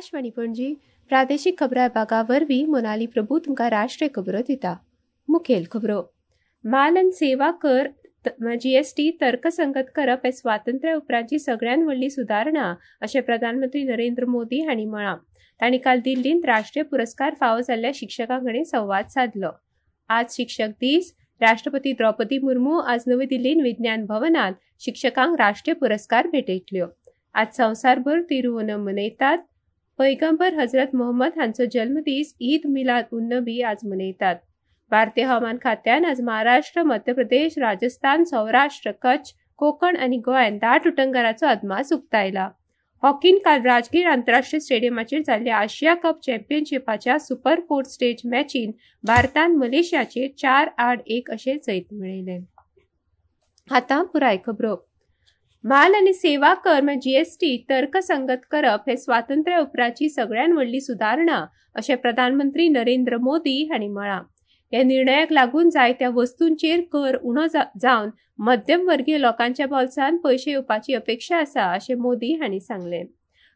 आकाशवाणी पणजी प्रादेशिक खबरां विभागा वरवीं मोनाली प्रभू तुमकां राष्ट्रीय खबरो दिता. मुखेल खबरो. माल आनी सेवा कर जीएसटी तर्कसंगत करप हे स्वातंत्र्या उपरांतची सगळ्यांत व्हडली सुदारणा अशें प्रधानमंत्री नरेंद्र मोदी हांणी म्हळां. तांणी काल दिल्लींत राष्ट्रीय पुरस्कार फावो जाल्ल्या शिक्षकां कडेन संवाद सादलो. आज शिक्षक दीस. राष्ट्रपती द्रौपदी मुर्मू आज नवी दिल्लींत विज्ञान भवनांत शिक्षकांक राष्ट्रीय पुरस्कार भेटयतल्यो. आज संवसारभर तिरुओणम मनयतात. पैगंबर हजरत मोहम्मद हांचो जल्मदीस ईद मिलाद उन नबी आज मनयतात. भारतीय हवामान खात्यान आज महाराष्ट्र, मध्य प्रदेश, राजस्थान, सौराष्ट्र, कच्छ, कोकण आनी गोंयांत दाट उटंगाराचो अदमास उक्तायला. हॉकीन काल राजगीर आंतरराष्ट्रीय स्टेडियमाचेर जाल्ल्या आशिया कप चॅम्पियनशिपाच्या सुपर 4 स्टेज मॅचीन भारतान मलेशियाचेर 4-1 अशें जैत मेळयलें. आतां पुराय खबरो. माल आनी सेवा कर म्हळ्यार जीएसटी तर्कसंगत करप हे स्वातंत्र्या उपरांतची सगळ्यांत व्हडली सुदारणा अशें प्रधानमंत्री नरेंद्र मोदी हांणी म्हळां. ह्या निर्णयाक लागून जायत्या वस्तूंचेर कर उणो जावन मध्यमवर्गीय लोकांच्या बोल्सांत पयशे येवपाची अपेक्षा आसा अशें मोदी हांणी सांगलें.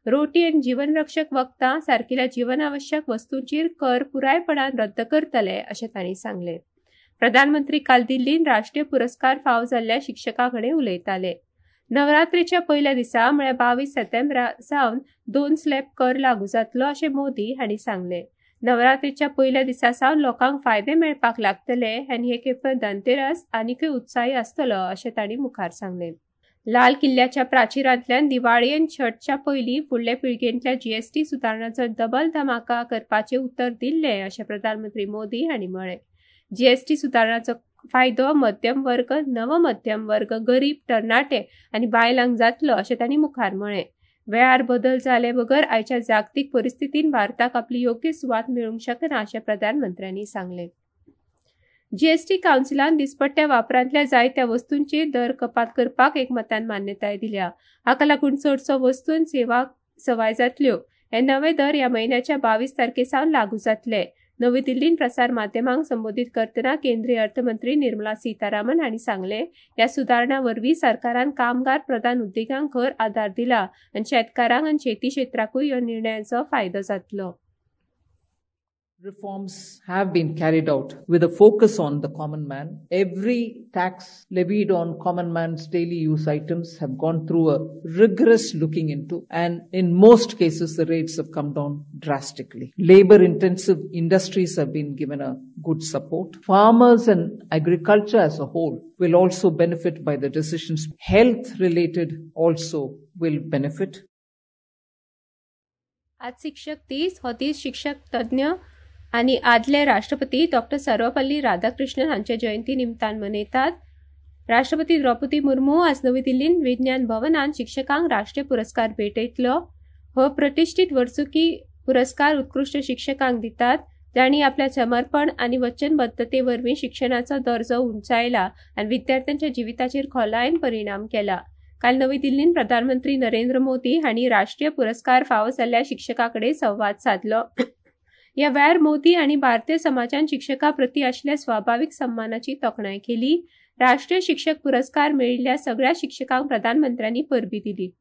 रोटी आनी जीवनरक्षक वखदां सारकिल्या जीवनावश्यक वस्तूंचेर कर पुरायपणान रद्द करतले अशें तांणी सांगलें. प्रधानमंत्री काल दिल्लींत राष्ट्रीय पुरस्कार फावो जाल्ल्या शिक्षकां कडेन उलयताले. नवरात्रीच्या पयल्या दिसा म्हळ्यार 22 सप्टेंबरा सावन 2 स्लॅब कर लागू जातलो अशें मोदी हांणी सांगलें. नवरात्रीच्या पयल्या दिसा सावन लोकांक फायदे मेळपाक लागतले आनी हे खेप धनतेरस आनीकय उत्साही आसतलो अशें तांणी मुखार सांगलें. लाल किल्ल्याच्या प्राचिरांतल्यान दिवाळी आनी छठच्या पयलीं फुडले पिळगेंतल्या जीएसटी सुदारणाचो डबल धमाका करपाचें उतर दिल्लें अशें प्रधानमंत्री मोदी हांणी म्हळें. जीएसटी सुदारणाचो फायदो मध्यम वर्ग, नवमध्यम वर्ग, गरीब, तरणाटे आनी बायलांक जातलो अशें तांणी मुखार म्हळें. वेळार बदल जाले बगर आयच्या जागतीक परिस्थितीन भारताक आपली योग्य सुवात मेळूंक शकना अशें प्रधानमंत्र्यांनी सांगलें. जीएसटी कावन्सिलान दिसपट्ट्या वापरांतल्या जायत्या वस्तूंचेर दर कपात करपाक एकमतान मान्यताय दिल्या. हाका लागून चडसो वस्तू आनी सेवा सवाय जातल्यो. हे नवे दर ह्या म्हयन्याच्या 22 तारखे सावन लागू जातले. नवी दिल्लींत प्रसार माध्यमांक संबोधीत करतना केंद्रीय अर्थमंत्री निर्मला सीतारामन हांणी सांगलें, ह्या सुदारणा वरवीं सरकारान कामगार प्रधान उद्देगांक खर आदार दिला आनी शेतकारांक आनी शेती क्षेत्राकूय ह्या निर्णयाचो फायदो जातलो. Reforms have been carried out with a focus on the common man. Every tax levied on common man's daily use items have gone through a rigorous looking into, and in most cases the rates have come down drastically. Labor intensive industries have been given a good support. Farmers and agriculture as a whole will also benefit by the decisions. Health related also will benefit. आज शिक्षक दीस. हो दीस शिक्षक तज्ञ आनी आदले राष्ट्रपती डॉक्टर सर्वपल्ली राधाकृष्णन हांच्या जयंती निमतान मनयतात. राष्ट्रपती द्रौपदी मुर्मू आज नवी दिल्लींत विज्ञान भवनांत शिक्षकांक राष्ट्रीय पुरस्कार भेटयतलो. हो प्रतिश्ठीत वर्सुकी पुरस्कार उत्कृश्ट शिक्षकांक दितात जांणी आपल्या समर्पण आनी वचनबद्धते वरवीं शिक्षणाचो दर्जो उंचायला आनी विद्यार्थ्यांच्या जिविताचेर खोलायेन परिणाम केला. काल नवी दिल्लींत प्रधानमंत्री नरेंद्र मोदी हांणी राष्ट्रीय पुरस्कार फावो जाल्ल्या शिक्षकां कडेन संवाद सादलो. ह्या वेळार मोदी हांणी भारतीय समाजान शिक्षकां प्रती आशिल्ल्या स्वाभावीक सन्मानाची तोखणाय केली. राष्ट्रीय शिक्षक पुरस्कार मेळिल्ल्या सगळ्या शिक्षकांक प्रधानमंत्र्यांनी परबी दिली.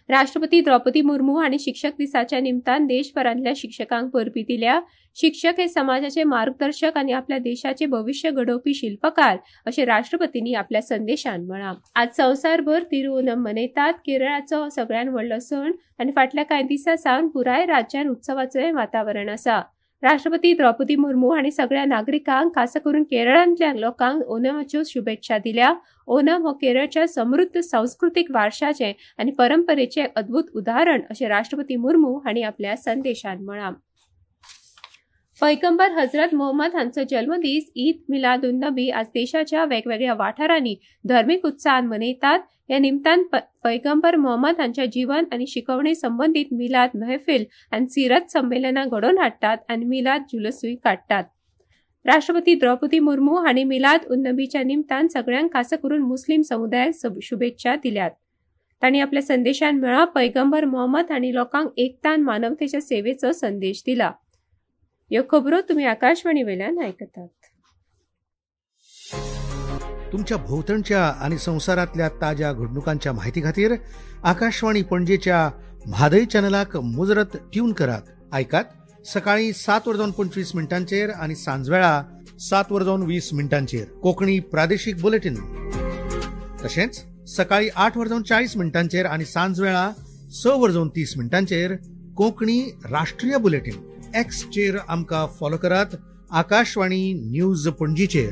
राष्ट्रपती द्रौपदी मुर्मू हांणी शिक्षक दिसाच्या निमतान देशभरांतल्या शिक्षकांक परबी दिल्या. शिक्षक हे समाजाचे मार्गदर्शक आनी आपल्या देशाचे भविश्य घडोवपी शिल्पकार अशें राष्ट्रपतींनी आपल्या संदेशान म्हळां. आज संवसारभर तिरुओणम मनयतात. केरळाचो सगळ्यांत व्हडलो सण आनी फाटल्या कांय दिसां सावन पुराय राज्यांत उत्सवाचें वातावरण आसा. राष्ट्रपती द्रौपदी मुर्मू हांणी सगळ्या नागरिकांक खास करून केरळांतल्या लोकांक ओणमाच्यो शुभेच्छा दिल्या. ओणम हो केरळच्या समृद्ध सांस्कृतीक वारशाचें आनी परंपरेचें अद्भुत उदाहरण अशें राष्ट्रपती मुर्मू हांणी आपल्या संदेशान म्हळां. पैगंबर हजरत मोहम्मद हांचो जल्मदीस ईद मिलाद उन नबी आज देशाच्या वेगवेगळ्या वाठारांनी धर्मीक उत्साहान मनयतात. ह्या निमतान पैगंबर मोहम्मद हांच्या जीवन आनी शिकवणे संबंदीत मिलाद महफिल आनी सिरत संमेलनां घडोवन हाडटात आनी मिलाद जुलूसूय काडटात. राष्ट्रपती द्रौपदी मुर्मू हांणी मिलाद उन नबीच्या निमतान सगळ्यांक खास करून मुस्लीम समुदायाक शुभेच्छा दिल्यात. तांणी आपल्या संदेशान म्हळां, पैगंबर मोहम्मद हांणी लोकांक एकता आनी मानवतेच्या सेवेचो संदेश दिला. ह्यो खबरो तुमी आकाशवाणी वेल्यान आयकतात. तुमच्या भोवतणच्या आणि संवसारातल्या ताज्या घडणुकांच्या माहिती खातीर आकाशवाणी पणजेच्या म्हादय चॅनलाक मुजरत ट्यून करात. आयकात सकाळी 7:25 आनी सांजवेळा 7:20 कोंकणी प्रादेशीक बुलेटीन. तशेंच सकाळी 8:40 आनी सांजवेळा 6:30 कोंकणी राष्ट्रीय बुलेटीन. एक्सचेर आमकां फॉलो करात आकाशवाणी न्यूज पणजीचेर.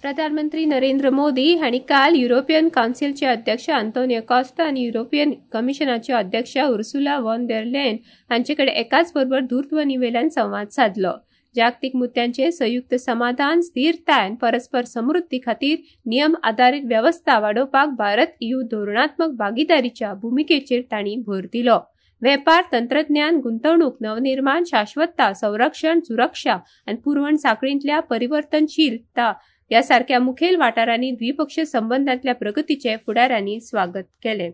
प्रधानमंत्री नरेंद्र मोदी हांणी काल युरोपियन कावन्सिलचे अध्यक्ष आंतोनियो कॉस्ता आनी युरोपियन कमिशनाचे अध्यक्ष उर्सुला वॉन देर लेन हांचे कडेन एकाच बरोबर दूरध्वनीवेल्यान संवाद सादलो. जागतीक मुद्द्यांचेर संयुक्त समाधान, स्थिरताय आनी परस्पर समृद्धी खातीर नियम आदारीत वेवस्था वाडोवपाक भारत ईयू धोरणात्मक भागीदारीच्या भुमिकेचेर तांणी भर दिलो. वेपार, तंत्रज्ञान, गुंतवणूक, नवनिर्माण, शाश्वतता, संरक्षण, सुरक्षा आनी पुरवण साखळींतल्या परिवर्तनशीलता ह्या सारक्या मुखेल वाठारांनी द्विपक्षीय संबंदांतल्या प्रगतीचे फुडाऱ्यांनी स्वागत केले.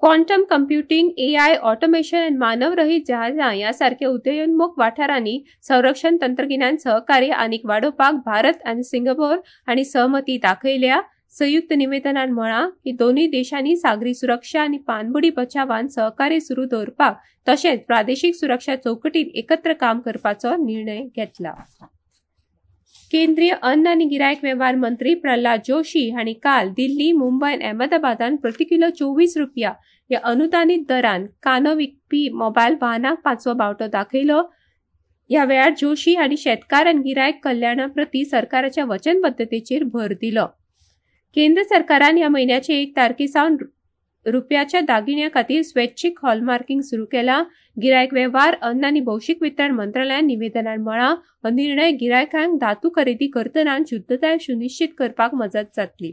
क्वांटम कंप्युटींग, एआय, ऑटोमेशन आनी मानवरहीत जहाजां ह्या सारक्या उदयोन्मुख वाठारांनी संरक्षण तंत्रगिन्यान सहकार्य आनीक वाडोवपाक भारत आनी सिंगापोर हांणी सहमती दाखयल्या. संयुक्त निवेदनान म्हळां की दोनूय देशांनी सागरी सुरक्षा आनी पानबुडी बचावान सहकार्य सुरू दवरपाक तशेंच प्रादेशीक सुरक्षा चौकटीत एकत्र काम करपाचो निर्णय घेतला. केंद्रीय अन्न आनी गिरायक वेव्हार मंत्री प्रल्हाद जोशी हांणी काल दिल्ली, मुंबय आनी अहमदाबादान प्रति किलो 24 रुपया ह्या अनुदानीत दरान कांदो विकपी मोबायल वाहनांक पांचवो बावटो दाखयलो. ह्या वेळार जोशी हांणी शेतकार आनी गिरायक कल्याणा प्रती सरकाराच्या वचनबद्दतेचेर भर दिलो. केंद्र सरकारान ह्या म्हयन्याचे 1 तारखे सावन रुपयाच्या दागिन्या खातीर स्वैच्छिक हॉलमार्किंग सुरू केला. गिरायक वेव्हार, अन्न आनी भौशीक वितरण मंत्रालयान निवेदनान म्हळां, हो निर्णय गिरायकांक धातू खरेदी करतना शुद्धताय सुनिश्चित करपाक मजत जातली.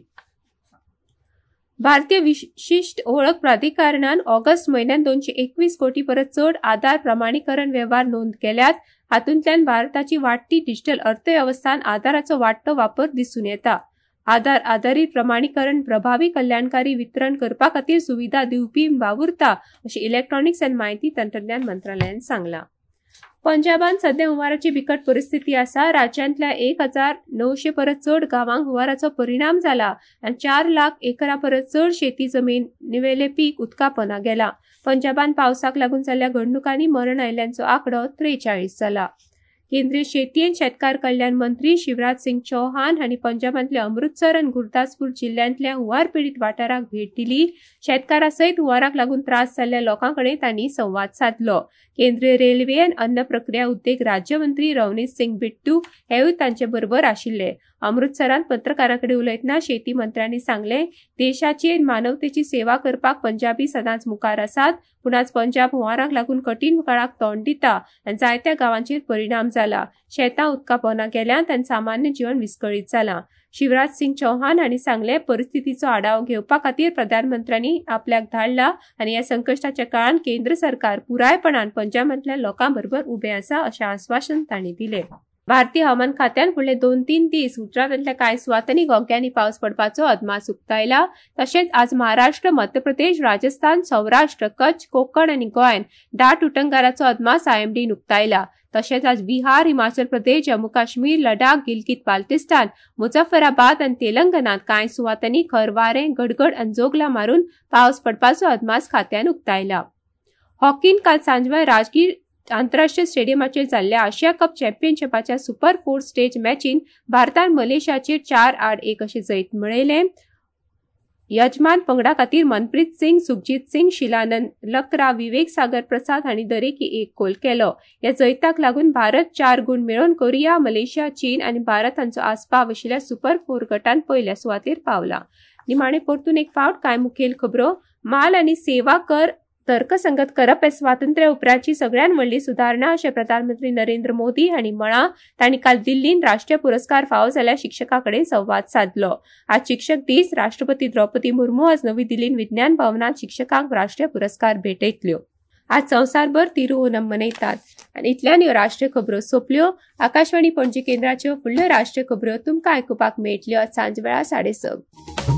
भारतीय विशिश्ट वळख प्राधिकरणान ऑगस्ट म्हयन्यात 221 कोटी परस चड आधार प्रमाणीकरण वेव्हार नोंद केल्यात. हातूंतल्यान भारताची वाडटी डिजिटल अर्थवेवस्थान आधाराचो वाडटो वापर दिसून येता. आधार आधारीत प्रमाणीकरण प्रभावी कल्याणकारी वितरण करपा खातीर सुविधा दिवपी वावुरता अशें इलेक्ट्रॉनिक्स आनी म्हायती तंत्रज्ञान मंत्रालयान सांगलां. पंजाबान सध्या हुंवाराची बिकट परिस्थिती आसा. राज्यांतल्या 1900 परस चड गांवांक हुंवाराचो परिणाम जाला आनी 4 लाख एकरा परस चड शेती जमनीवेलें पीक उदका पोंदा गेलां. पंजाबान पावसाक लागून जाल्ल्या घडणुकांनी मरण आयिल्ल्यांचो आंकडो 43 जाला. केंद्रीय शेती आनी शेतकार कल्याण मंत्री शिवराज सिंग चौहान हांणी पंजाबांतल्या अमृतसर आनी गुरदासपूर जिल्ल्यांतल्या हुंवार पिडीत वाठाराक भेट दिली. शेतकारां सयत हुंवाराक लागून त्रास जाल्ल्या लोकां कडेन तांणी संवाद सादलो. केंद्रीय रेल्वे आनी अन्न प्रक्रिया उद्देग राज्यमंत्री रवनीत सिंग बिट्टू हेवूय तांचे बरोबर आशिल्ले. अमृतसरांत पत्रकारां कडेन उलयतना शेती मंत्र्यांनी सांगलें, देशाची आनी मानवतेची सेवा करपाक पंजाबी सदांच मुखार आसात. पूण आज पंजाब हुंवाराक लागून कठीण काळाक तोंड दिता आनी जायत्या गांवांचेर परिणाम जाला. शेतां उदका पोंदा गेल्यांत आनी सामान्य जीवन विस्कळीत जालां. शिवराज सिंग चौहान हांणी सांगलें, परिस्थितीचो आढावो घेवपा खातीर प्रधानमंत्र्यांनी आपल्याक धाडला आनी ह्या संकश्टाच्या काळांत केंद्र सरकार पुरायपणान पंजाबांतल्या लोकां बरोबर उबें आसा अशें आस्वासन तांणी दिलें. भारतीय हवामान खात्यान फुडले 2-3 दीस गुजरातांतल्या कांय सुवातांनी घोग्यांनी पावस पडपाचो अदमास उक्तायला. तशेंच आज महाराष्ट्र, मध्य प्रदेश, राजस्थान, सौराष्ट्र, कच्छ, कोकण आनी गोंयांत दाट उटंगाराचो अदमास आयएमडीन उक्तायला. तशेंच आज बिहार, हिमाचल प्रदेश, जम्मू काश्मीर, लडाख, गिलगित बाल्टिस्तान, मुझफ्फराबाद आनी तेलंगणांत कांय सुवातांनी खर वारें, गडगड आनी जोगलां मारून पावस पडपाचो अदमास खात्यान उक्तायला. हॉकीन काल सांजवेळा राजगीर आंतरराष्ट्रीय स्टेडियमाचेर जाल्ल्या आशिया कप चॅम्पियनशिपाच्या सुपर 4 स्टेज मॅचीन भारतान मलेशियाचेर 4-1 अशें जैत मेळयलें. यजमान पंगडा खातीर मनप्रीत सिंग, सुखजीत सिंग, शिलानंद लकरा, विवेक सागर प्रसाद हांणी दरेकी 1 गोल केलो. ह्या जैताक लागून भारत 4 गूण मेळोवन कोरिया, मलेशिया, चीन आनी भारत हांचो आस्पाव आशिल्ल्या सुपर 4 गटांत पयल्या सुवातेर पावला. निमाणे परतून एक फावट कांय मुखेल खबरो. माल आनी सेवा कर तर्कसंगत करप हे स्वातंत्र्या उपरांतची सगळ्यात व्हडली सुदारणा अशें प्रधानमंत्री नरेंद्र मोदी हांणी म्हळां. तांणी काल दिल्लींत राष्ट्रीय पुरस्कार फावो जाल्ल्या शिक्षकां कडेन संवाद सादलो. आज शिक्षक दीस. राष्ट्रपती द्रौपदी मुर्मू आज नवी दिल्लींत विज्ञान भवनांत शिक्षकांक राष्ट्रीय पुरस्कार भेटयतल्यो. आज संवसारभर तिरुओनम मनयतात. आनी इतल्यान ह्यो राष्ट्रीय खबरो सोंपल्यो. आकाशवाणी पणजी केंद्राच्यो फुडल्यो राष्ट्रीय खबरो तुमकां आयकुपाक मेळटल्यो आज सांजवेळा 6:30.